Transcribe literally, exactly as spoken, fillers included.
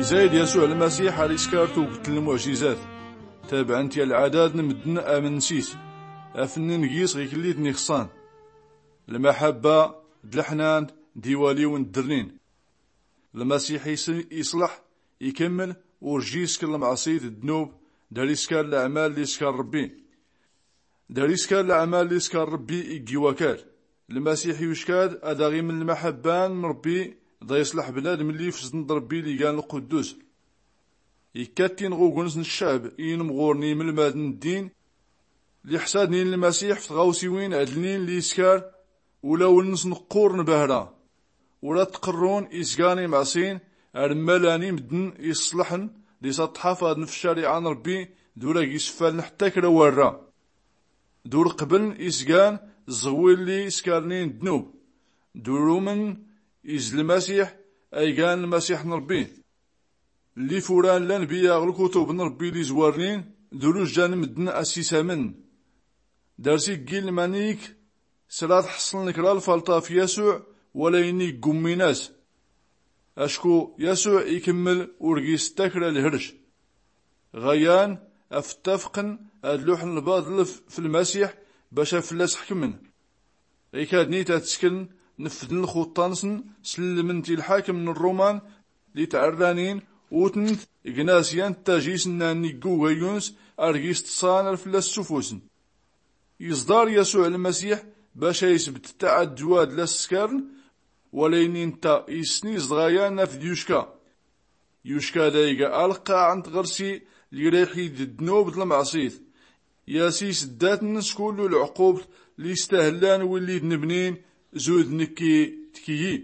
Izay-d yasuɛ lmasiḥ ar iskar tugt n lmuɛjizat, tabɛen-t yalɛadad n mddn amn ns-is, afnnin gis ɣiklli-tn-ixṣan. Lmaḥabba d lḥnan d iwaliw n ddrnin. Lmasiḥ iṣlḥ, ikmml, ur jji iskr lmɛṣit d ddnub, dar iskar laɛmal lli iskar rbbi. Dar iskar laɛmal lli iskar rbbi iggi wakal. Lmasiḥ yucka-d ad aɣ-iml lmaḥabba n rbbi, da iṣlḥ bnadm lli ifzdn d rbbi lli igan lquddus. Ikka-t-in ɣ ugens n ccɛb inmɣurn imlmadn n ddin, lli ḥsadnin lmasiḥ f tɣawsiwin adlnin lli iskar, ulawn-nsn qqurn bahra. Ur ad-tqrrun izgan imɛṣin, ar mmalan imddn iṣṣlḥn, d isaṭṭḥaf adn f ccariɛa n rbbi, d ur ag-isffaln ḥtta kra warra. D ur qbln izgan, ẓɣwil lli iskarnin ddnub, d ur umn iz lmasiḥ, aygan lmasiḥ n rbbi. Llif uran lanbiya ɣ lkutub n rbbi lli izwarnin, d ur ujjan mddn a-s-isamn. Dar-s iggi lmanik, sra ad-ḥṣln kra lfalṭa f yasuɛ, wala ini iggummin-as. Acku yasuɛ ikmml ur gis ttakra lhrc. Ɣayan, af-ttafqn ad-luḥn lbaḍl f lmasiḥ, bac afllas ḥkmn. Ikadn-it ad-tskn, nfdn lxuṭṭa-nsn, slmn-t i lḥakm n rruman, lli tɛrranin, utnt, gnas yan ttajis nnan igguga yuns, ar gis ṭṣan ar fllas sufusn. Iẓḍar yasuɛ lmasiḥ, bac a-isbt ttaɛdwa d la-s-skarn, wala ini ntta issn izḍɣa yan af-d-yucka. Yucka da iga alqqaɛ n tɣrsi, lli ra iḥid ddnub d lmɛṣit. Yas-isddatn s kullu lɛqubṭ, lli istahlan willi d-nbnin, zud nkki d kyi.